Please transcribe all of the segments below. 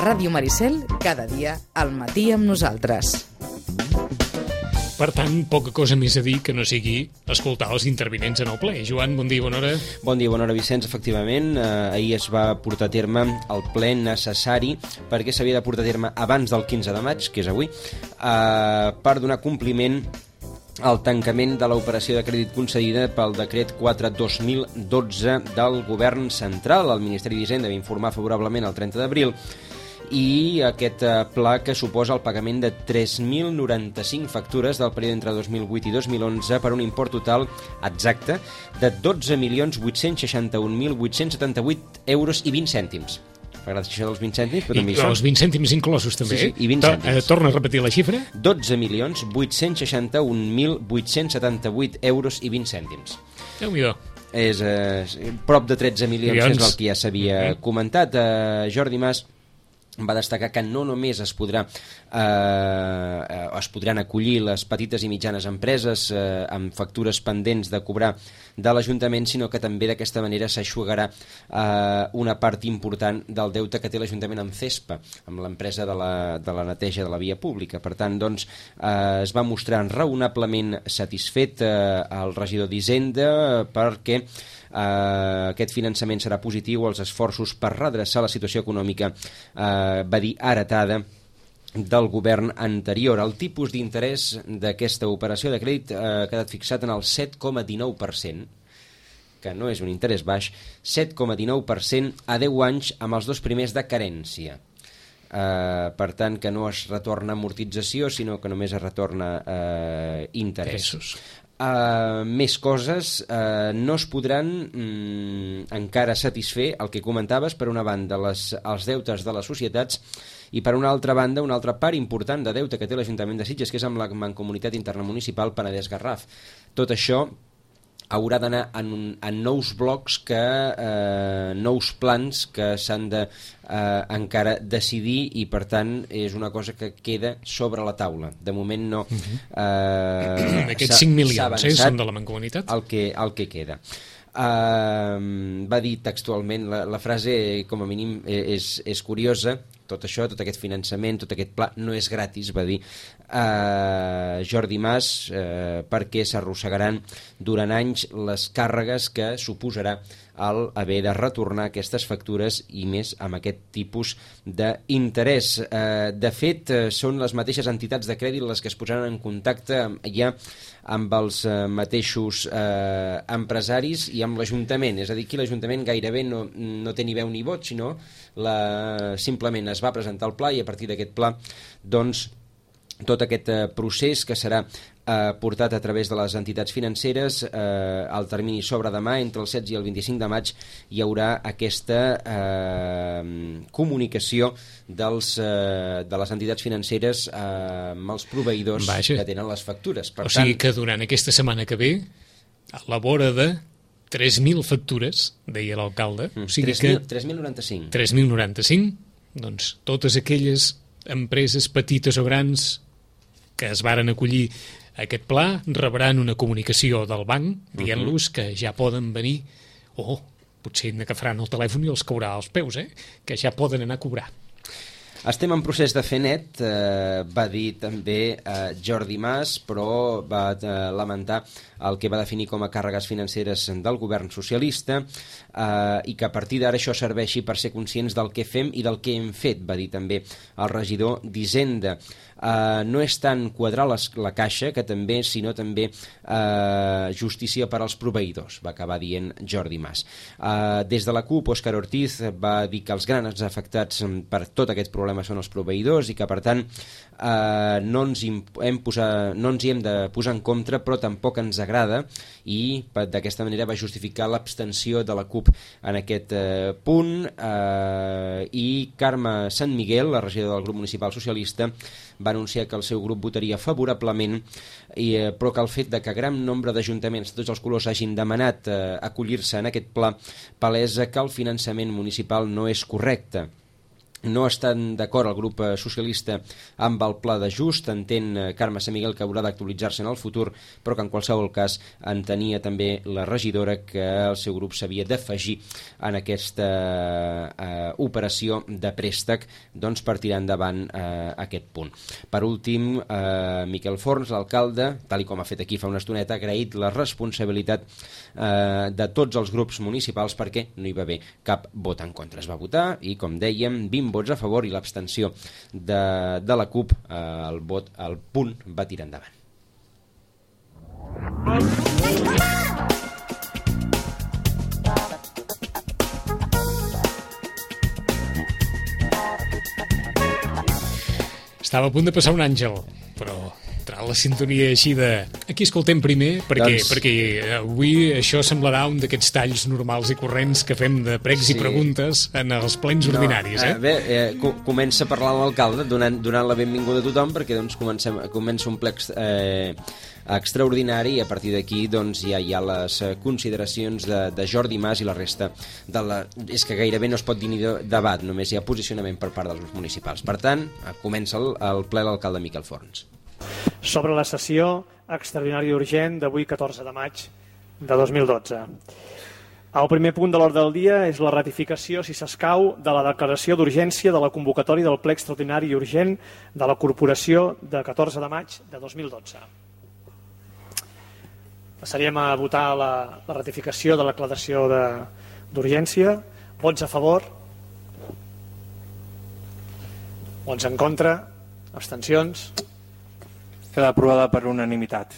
Ràdio Maricel, cada dia al matí amb nosaltres. Per tant, poca cosa més a dir que no sigui escoltar els intervinents en el ple. Joan, bon dia, bona hora. Bon dia, bona hora, Vicenç. Efectivament, ahir es va portar a terme el ple necessari perquè s'havia de portar a terme abans del 15 de maig, que és avui, per donar compliment al tancament de l'operació de crèdit concedida pel decret 4/2012 del Govern Central. El Ministeri d'Hisenda va informar favorablement el 30 d'abril i aquest pla que suposa el pagament de 3.095 factures del període entre 2008 i 2011 per un import total exacte de 12.861.878 euros i 20 cèntims. M'agrada això dels 20 cèntims, però també hi són. Els 20 cèntims inclosos, també. Sí, i 20 cèntims. Torna a repetir la xifra. 12.861.878 euros i 20 cèntims. Déu-n'hi-do. És prop de 13 milions, és el que ja s'havia comentat. Jordi Mas va destacar que no només es podran acollir les petites i mitjanes empreses amb factures pendents de cobrar de l'Ajuntament, sinó que també d'aquesta manera s'aixugarà una part important del deute que té l'Ajuntament amb CESPA, amb l'empresa de la neteja de la via pública. Per tant, doncs, es va mostrar raonablement satisfet el regidor d'Hisenda perquè aquest finançament serà positiu als esforços per redreçar la situació econòmica, va dir, heretada del govern anterior. El tipus d'interès d'aquesta operació de crèdit ha quedat fixat en el 7,19%, que no és un interès baix, 7,19% a 10 anys amb els 2 primers de carència. Per tant, que no es retorna amortització, sinó que només es retorna interessos. Més coses, no es podran encara satisfer el que comentaves, per una banda els deutes de les societats i per una altra banda una altra part important de deute que té l'Ajuntament de Sitges, que és amb la Mancomunitat Intermunicipal Penedès-Garraf. Tot això haurà d'anar en nous blocs, nous plans que s'han de encara decidir, i per tant és una cosa que queda sobre la taula. De moment no aquests 5 milions són de la Mancomunitat? El que queda. Va dir textualment, la frase com a mínim és curiosa: tot això, tot aquest finançament, tot aquest pla no és gratis, va dir Jordi Mas, perquè s'arrossegaran durant anys les càrregues que suposarà el haver de retornar aquestes factures, i més amb aquest tipus d'interès. De fet, són les mateixes entitats de crèdit les que es posaran en contacte ja amb els mateixos empresaris i amb l'Ajuntament. És a dir, aquí l'Ajuntament gairebé no té ni veu ni vot, sinó simplement es va presentar el pla, i a partir d'aquest pla, doncs, tot aquest procés que serà portat a través de les entitats financeres, el termini s'obre demà, entre el 16 i el 25 de maig hi haurà aquesta comunicació de les entitats financeres amb els proveïdors que tenen les factures. O sigui que durant aquesta setmana que ve, a la vora de 3.000 factures, deia l'alcalde, 3.095. 3.095, doncs totes aquelles empreses petites o grans que es varen acollir a aquest pla rebran una comunicació del banc dient-los que ja poden venir, potser n'agafaran el telèfon i els caurà als peus, que ja poden anar a cobrar. Estem en procés de fer net, va dir també Jordi Mas, però va lamentar el que va definir com a càrregues financeres del govern socialista, i que a partir d'ara això serveixi per ser conscients del que fem i del que hem fet, va dir també el regidor d'Hisenda. No és tant quadrar la caixa, que també, sinó també justícia per als proveïdors, va acabar dient Jordi Mas. Des de la CUP, Òscar Ortiz va dir que els grans afectats per tot aquest problema són els proveïdors, i que per tant no ens hi hem de posar en contra, però tampoc ens agrada, i d'aquesta manera va justificar l'abstenció de la CUP en aquest punt. I Carme Sant Miguel, la regidora del grup municipal socialista, va anunciar que el seu grup votaria favorablement, però que el fet de que gran nombre d'ajuntaments de tots els colors hagin demanat acollir-se en aquest pla palesa que el finançament municipal no és correcte. No estan d'acord el grup socialista amb el pla d'ajust, entén Carme Sant Miguel que haurà d'actualitzar-se en el futur, però que en qualsevol cas entenia també la regidora que el seu grup s'havia d'afegir en aquesta operació de préstec per tirar endavant aquest punt. Per últim, Miquel Forns, l'alcalde, tal com ha fet aquí fa una estoneta, ha agraït la responsabilitat de tots els grups municipals perquè no hi va haver cap vot en contra. Es va votar i, com dèiem, 20 vots a favor i l'abstenció de la CUP, el punt va tirar endavant. Estava a punt de passar un àngel, però entrar la sintonia així de... Aquí escoltem primer, perquè avui això semblarà un d'aquests talls normals i corrents que fem de pregs i preguntes en els plens ordinaris. Comença a parlar l'alcalde donant la benvinguda a tothom, perquè comença un ple extraordinari i a partir d'aquí ja hi ha les consideracions de Jordi Mas i la resta és que gairebé no es pot dir ni debat, només hi ha posicionament per part dels grups municipals. Per tant, comença el ple l'alcalde Miquel Forns. Sobre la sessió extraordinària urgent d'avui 14 de maig de 2012. El primer punt de l'ordre del dia és la ratificació, si s'escau, de la declaració d'urgència de la convocatòria del ple extraordinari i urgent de la Corporació de 14 de maig de 2012. Passaríem a votar la ratificació de la declaració d'urgència. Vots a favor? Vots en contra? Abstencions? Queda aprovada per unanimitat.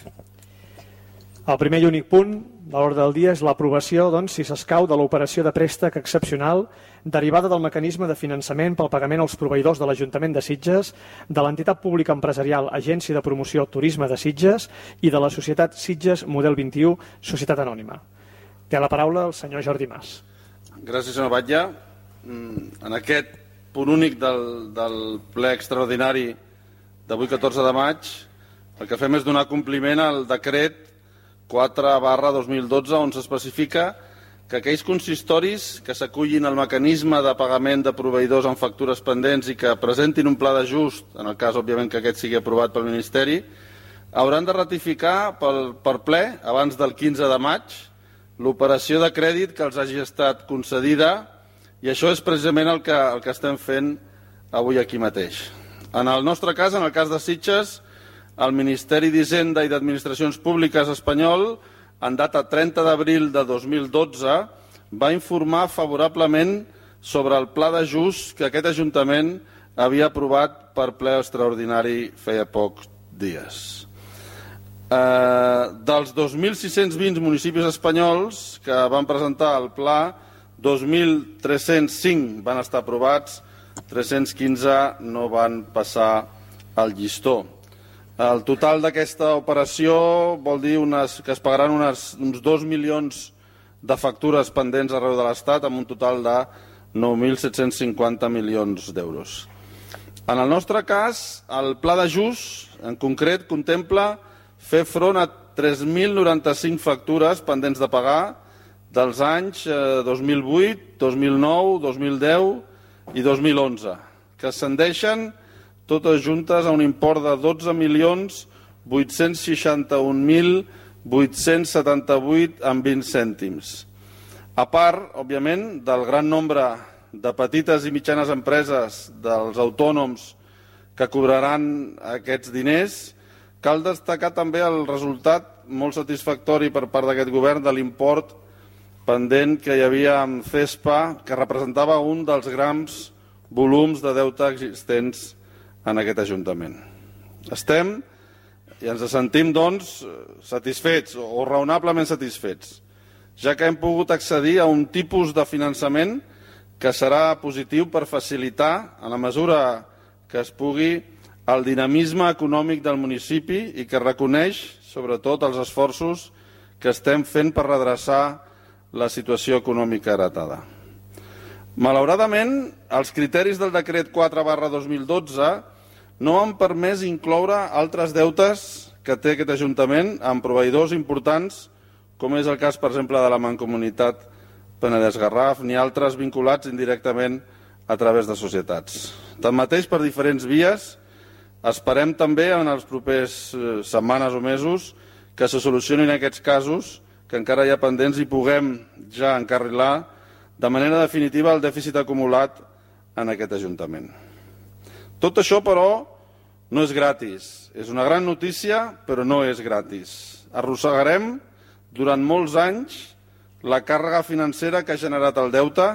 El primer i únic punt de l'ordre del dia és l'aprovació, si s'escau, de l'operació de préstec excepcional derivada del mecanisme de finançament pel pagament als proveïdors de l'Ajuntament de Sitges, de l'entitat pública empresarial Agència de Promoció Turisme de Sitges i de la societat Sitges Model 21, Societat Anònima. Té la paraula el senyor Jordi Mas. Gràcies, senyor Batlle. En aquest punt únic del ple extraordinari d'avui 14 de maig, el que fem és donar compliment al decret 4/2012 on s'especifica que aquells consistoris que s'acullin al mecanisme de pagament de proveïdors amb factures pendents i que presentin un pla d'ajust, en el cas, òbviament, que aquest sigui aprovat pel Ministeri, hauran de ratificar per ple, abans del 15 de maig, l'operació de crèdit que els hagi estat concedida, i això és precisament el que estem fent avui aquí mateix. En el nostre cas, en el cas de Sitges, el Ministeri d'Hisenda i d'Administracions Públiques espanyol, en data 30 d'abril de 2012, va informar favorablement sobre el pla d'ajust que aquest Ajuntament havia aprovat per ple extraordinari feia pocs dies. Dels 2.620 municipis espanyols que van presentar el pla, 2.305 van estar aprovats, 315 no van passar el llistó. El total d'aquesta operació vol dir que es pagaran uns 2 milions de factures pendents arreu de l'Estat amb un total de 9.750 milions d'euros. En el nostre cas, el pla d'ajust, en concret, contempla fer front a 3.095 factures pendents de pagar dels anys 2008, 2009, 2010 i 2011, que ascendeixen totes juntes a un import de 12.861.878,20 cèntims. A part, òbviament, del gran nombre de petites i mitjanes empreses dels autònoms que cobraran aquests diners, cal destacar també el resultat molt satisfactori per part d'aquest govern de l'import pendent que hi havia amb CESPA, que representava un dels grans volums de deute existents en aquest Ajuntament. Estem i ens sentim, doncs, satisfets o raonablement satisfets, ja que hem pogut accedir a un tipus de finançament que serà positiu per facilitar, en la mesura que es pugui, el dinamisme econòmic del municipi i que reconeix, sobretot, els esforços que estem fent per redreçar la situació econòmica heretada. Malauradament, els criteris del decret 4/2012 no han permès incloure altres deutes que té aquest Ajuntament amb proveïdors importants, com és el cas, per exemple, de la Mancomunitat Penedès-Garraf, ni altres vinculats indirectament a través de societats. Tanmateix, per diferents vies, esperem també en els propers setmanes o mesos que se solucionin aquests casos que encara hi ha pendents i puguem ja encarrilar de manera definitiva el dèficit acumulat en aquest Ajuntament. Tot això, però, no és gratis. És una gran notícia, però no és gratis. Arrossegarem durant molts anys la càrrega financera que ha generat el deute,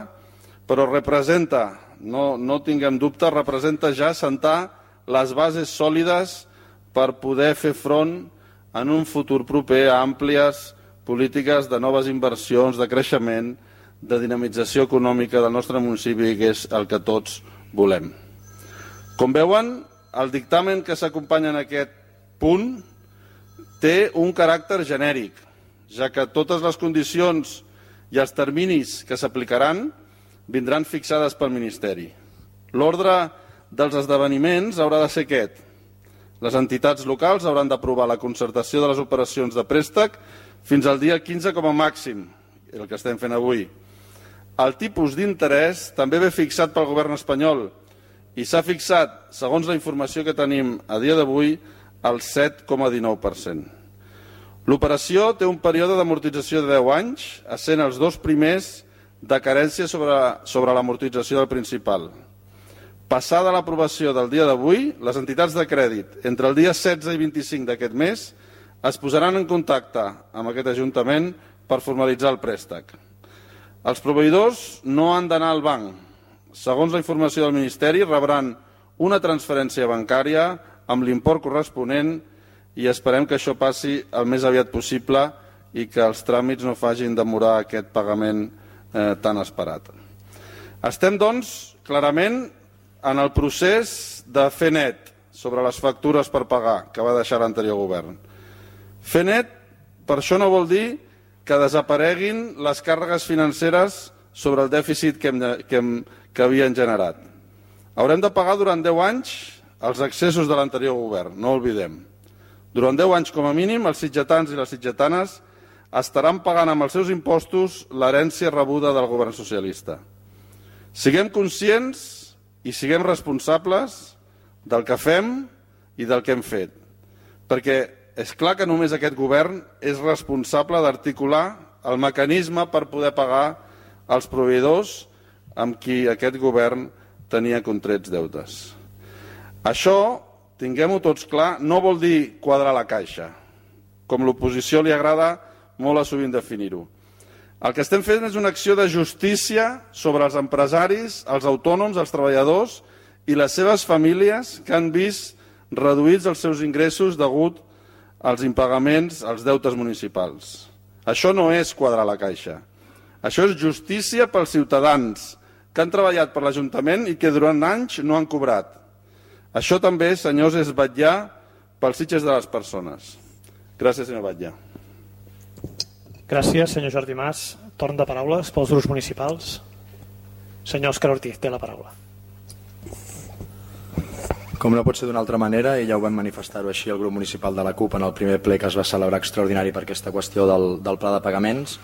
però representa, no tinguem dubte, representa ja assentar les bases sòlides per poder fer front en un futur proper a àmplies polítiques de noves inversions, de creixement, de dinamització econòmica del nostre municipi, que és el que tots volem. Com veuen, el dictamen que s'acompanya en aquest punt té un caràcter genèric, ja que totes les condicions i els terminis que s'aplicaran vindran fixades pel Ministeri. L'ordre dels esdeveniments haurà de ser aquest. Les entitats locals hauran d'aprovar la concertació de les operacions de préstec fins al dia 15 com a màxim, el que estem fent avui. El tipus d'interès també ve fixat pel govern espanyol i s'ha fixat, segons la informació que tenim a dia d'avui, al 7,19%. L'operació té un període d'amortització de 10 anys, essent els 2 primers de carència sobre l'amortització del principal. Passada l'aprovació del dia d'avui, les entitats de crèdit entre el dia 16 i 25 d'aquest mes es posaran en contacte amb aquest Ajuntament per formalitzar el préstec. Els proveïdors no han d'anar al banc. Segons la informació del Ministeri, rebran una transferència bancària amb l'import corresponent i esperem que això passi el més aviat possible i que els tràmits no facin demorar aquest pagament tan esperat. Estem, doncs, clarament en el procés de fer net sobre les factures per pagar que va deixar l'anterior govern. Fer net, per això no vol dir que desapareguin les càrregues financeres sobre el dèficit que havien generat. Haurem de pagar durant 10 anys els excessos de l'anterior govern, no oblidem. Durant 10 anys com a mínim, els sitgetans i les sitgetanes estaran pagant amb els seus impostos l'herència rebuda del govern socialista. Siguem conscients i siguem responsables del que fem i del que hem fet, perquè és clar que només aquest govern és responsable d'articular el mecanisme per poder pagar els proveïdors amb qui aquest govern tenia contrets deutes. Això, tinguem-ho tots clar, no vol dir quadrar la caixa, com l'oposició li agrada molt a sovint definir-ho. El que estem fent és una acció de justícia sobre els empresaris, els autònoms, els treballadors i les seves famílies que han vist reduïts els seus ingressos degut als impagaments, als deutes municipals. Això no és quadrar la caixa. Això és justícia pels ciutadans que han treballat per l'Ajuntament i que durant anys no han cobrat. Això també, senyors, és vetllar pels sitges de les persones. Gràcies, senyor Batlle. Gràcies, senyor Jordi Mas. Torn de paraules pels grups municipals. Senyor Òscar Ortiz, té la paraula. Com no pot ser d'una altra manera, i ja ho vam manifestar-ho així el grup municipal de la CUP en el primer ple que es va celebrar extraordinari per aquesta qüestió del pla de pagaments,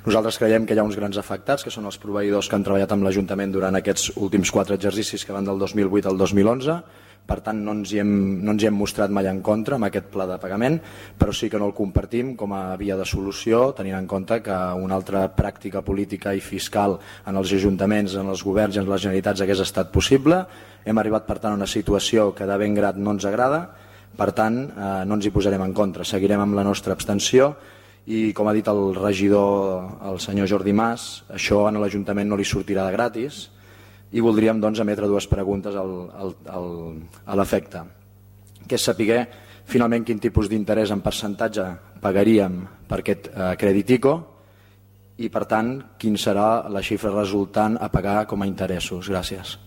nosaltres creiem que hi ha uns grans afectats, que són els proveïdors que han treballat amb l'Ajuntament durant aquests últims 4 exercicis que van del 2008 al 2011. Per tant, no ens hi hem mostrat mai en contra amb aquest pla de pagament, però sí que no el compartim com a via de solució, tenint en compte que una altra pràctica política i fiscal en els ajuntaments, en els governs i en les Generalitats hagués estat possible. Hem arribat, per tant, a una situació que de ben grat no ens agrada, per tant, no ens hi posarem en contra. Seguirem amb la nostra abstenció i, com ha dit el regidor, el senyor Jordi Mas, això a l'Ajuntament no li sortirà de gratis, i voldríem, doncs, emetre 2 preguntes a l'efecte, que és saber finalment quin tipus d'interès en percentatge pagaríem per aquest crèdit ICO i, per tant, quin serà la xifra resultant a pagar com a interessos. Gràcies.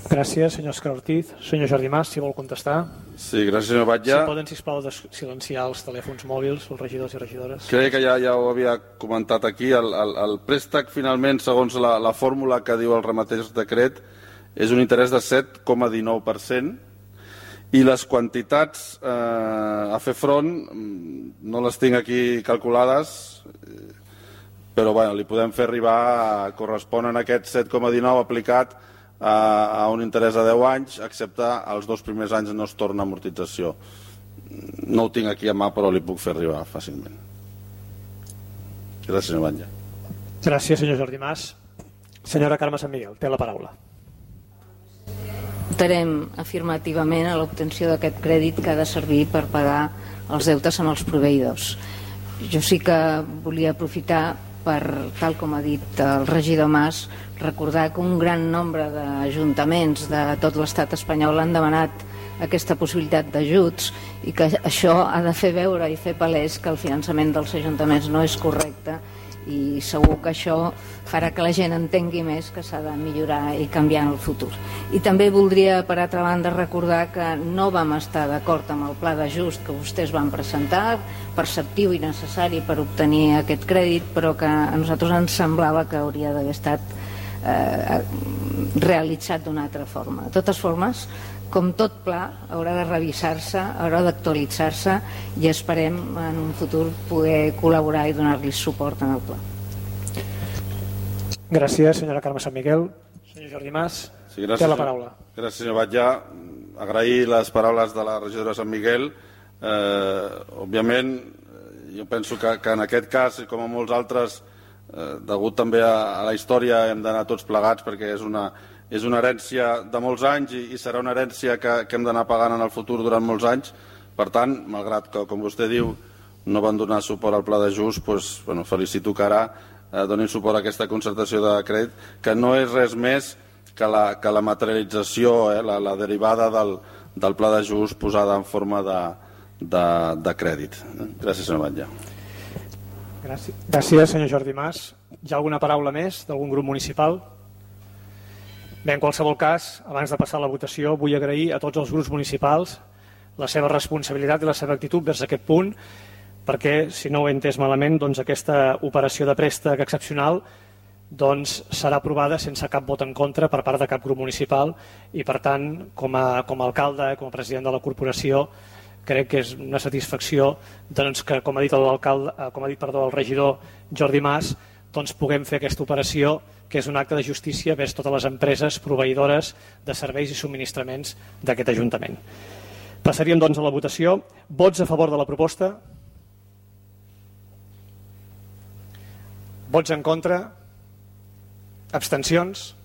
Gràcies, senyor Òscar Ortiz. Senyor Jordi Mas, si vol contestar. Sí, gràcies, senyor Batlle. Si poden, sisplau, silenciar els telèfons mòbils, els regidors i regidores. Crec que ja ho havia comentat aquí. El préstec, finalment, segons la fórmula que diu el mateix decret, és un interès de 7,19% i les quantitats a fer front no les tinc aquí calculades, però bueno, li podem fer arribar, corresponen aquest 7,19 aplicat a un interès de 10 anys, excepte els 2 primers anys no es torna amortització. No ho tinc aquí a mà, però li puc fer arribar fàcilment. Gràcies, senyor Batlle. Gràcies, senyor Jordi Mas. Senyora Carme Sant Miguel, té la paraula. Votarem afirmativament a l'obtenció d'aquest crèdit que ha de servir per pagar els deutes amb els proveïdors. Jo sí que volia aprofitar per, tal com ha dit el regidor Mas, recordar que un gran nombre d'ajuntaments de tot l'estat espanyol han demanat aquesta possibilitat d'ajuts i que això ha de fer veure i fer palès que el finançament dels ajuntaments no és correcte, i segur que això farà que la gent entengui més que s'ha de millorar i canviar en el futur. I també voldria, per altra banda, recordar que no vam estar d'acord amb el pla d'ajust que vostès van presentar, perceptiu i necessari per obtenir aquest crèdit, però que a nosaltres ens semblava que hauria d'haver estat realitzat d'una altra forma. De totes formes, com tot pla, haurà de revisar-se, haurà d'actualitzar-se i esperem en un futur poder col·laborar i donar-li suport en el pla. Gràcies, senyora Carme Sant Miguel. Senyor Jordi Mas, sí, gràcies, té la paraula. Gràcies, senyor Batlle. Agrair les paraules de la regidora Sant Miguel. Òbviament, jo penso que en aquest cas, com a molts altres, degut també a la història, hem d'anar tots plegats perquè és una herència de molts anys i serà una herència que hem d'anar pagant en el futur durant molts anys. Per tant, malgrat que, com vostè diu, no van donar suport al pla d'ajust, doncs, felicito que ara donin suport a aquesta concertació de crèdit, que no és res més que la materialització, la derivada del pla d'ajust posada en forma de crèdit. Gràcies, senyor Batlle. Gràcies, senyor Jordi Mas. Hi ha alguna paraula més d'algun grup municipal? Bé, en qualsevol cas, abans de passar a la votació, vull agrair a tots els grups municipals la seva responsabilitat i la seva actitud vers aquest punt, perquè, si no ho he entès malament, doncs aquesta operació de préstec excepcional serà aprovada sense cap vot en contra per part de cap grup municipal i, per tant, com a alcalde, com a president de la corporació, crec que és una satisfacció que, com ha dit el regidor Jordi Mas, puguem fer aquesta operació, que és un acte de justícia vers totes les empreses proveïdores de serveis i subministraments d'aquest Ajuntament. Passaríem, a la votació. Vots a favor de la proposta? Vots en contra? Abstencions?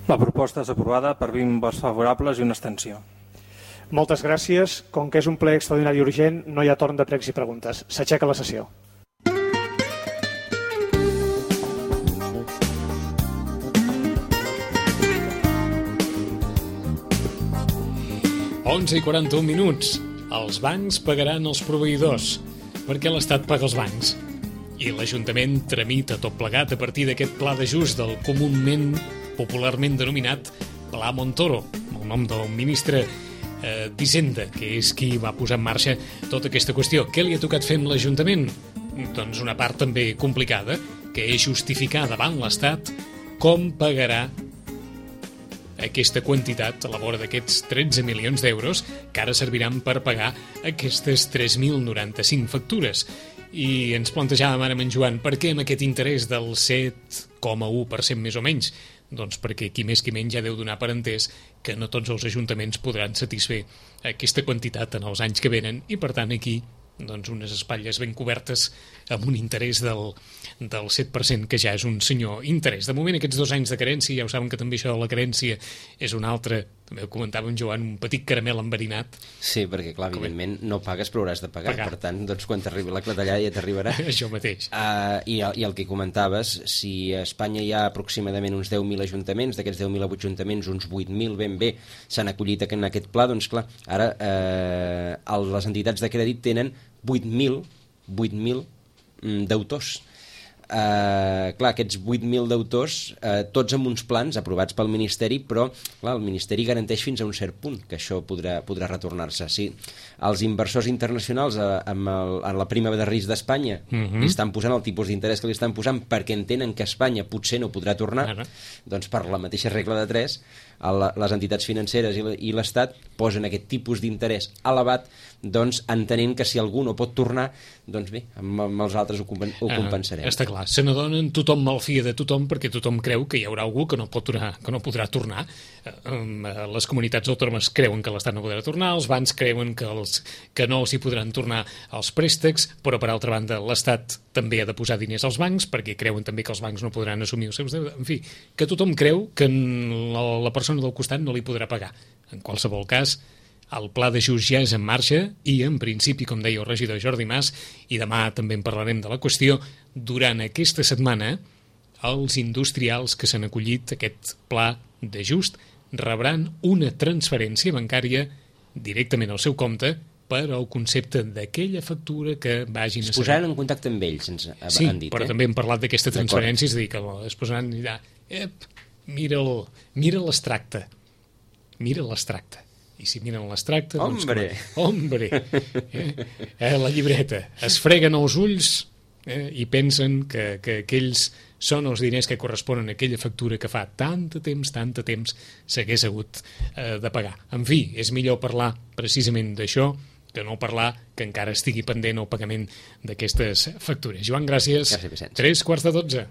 La proposta és aprovada per 20 vots favorables i una abstenció. Moltes gràcies. Com que és un ple extraordinari i urgent, no hi ha torn de pregs i preguntes. S'aixeca la sessió. i 41 minuts. Els bancs pagaran els proveïdors, perquè l'Estat paga els bancs. I l'Ajuntament tramita tot plegat a partir d'aquest pla d'ajust del comúment, popularment denominat Pla Montoro, el nom del ministre d'Hisenda, que és qui va posar en marxa tota aquesta qüestió. Què li ha tocat fer amb l'Ajuntament? Doncs una part també complicada, que és justificar davant l'Estat com pagarà aquesta quantitat a la vora d'aquests 13 milions d'euros que ara serviran per pagar aquestes 3.095 factures. I ens plantejàvem ara amb en Joan, per què amb aquest interès del 7,1% més o menys? Doncs perquè qui més qui menys ja deu donar per entès que no tots els ajuntaments podran satisfer aquesta quantitat en els anys que venen i, per tant, aquí unes espatlles ben cobertes amb un interès del 7%, que ja és un senyor interès. De moment, aquests 2 anys de carència, ja ho saben que també això de la carència és un altre, també ho comentava en Joan, un petit caramel enverinat. Sí, perquè, clar, evidentment no pagues però hauràs de pagar. Per tant, quan t'arribi la clatellada ja t'arribarà. Això mateix. I el que comentaves, si a Espanya hi ha aproximadament uns 10.000 ajuntaments, d'aquests 10.000 ajuntaments, uns 8.000 ben bé s'han acollit en aquest pla, doncs clar, ara les entitats de crèdit tenen 8.000 deutors. Clar, aquests 8.000 deutors, tots amb uns plans aprovats pel Ministeri, però clar, el Ministeri garanteix fins a un cert punt que això podrà retornar-se. Si els inversors internacionals en la prima de risc d'Espanya li estan posant el tipus d'interès que li estan posant perquè entenen que Espanya potser no podrà tornar, doncs per la mateixa regla de 3, les entitats financeres i l'Estat posen aquest tipus d'interès elevat, doncs entenent que si algú no pot tornar, doncs bé, amb els altres ho compensarem. Està clar, se n'adonen, tothom malfia de tothom perquè tothom creu que hi haurà algú que no podrà tornar. Les comunitats autònomes creuen que l'Estat no podrà tornar, els bancs creuen que no s'hi podran tornar els préstecs, però per altra banda l'Estat també ha de posar diners als bancs perquè creuen també que els bancs no podran assumir els seus deutes. En fi, que tothom creu que la persona del costat no li podrà pagar. En qualsevol cas, el pla d'ajust ja és en marxa i, en principi, com deia el regidor Jordi Mas, i demà també en parlarem de la qüestió, durant aquesta setmana els industrials que s'han acollit a aquest pla d'ajust rebran una transferència bancària directament al seu compte per al concepte d'aquella factura que vagin a es posaran en contacte amb ells, ens han dit. Sí, però també hem parlat d'aquesta transferència, és a dir, que es posaran i diran, mira l'extracte, i si miren l'extracte... Hombre! La llibreta. Es freguen els ulls i pensen que aquells són els diners que corresponen a aquella factura que fa tant de temps s'hagués hagut de pagar. En fi, és millor parlar precisament d'això que no parlar que encara estigui pendent el pagament d'aquestes factures. Joan, gràcies. Gràcies, Vicenç. 3:15.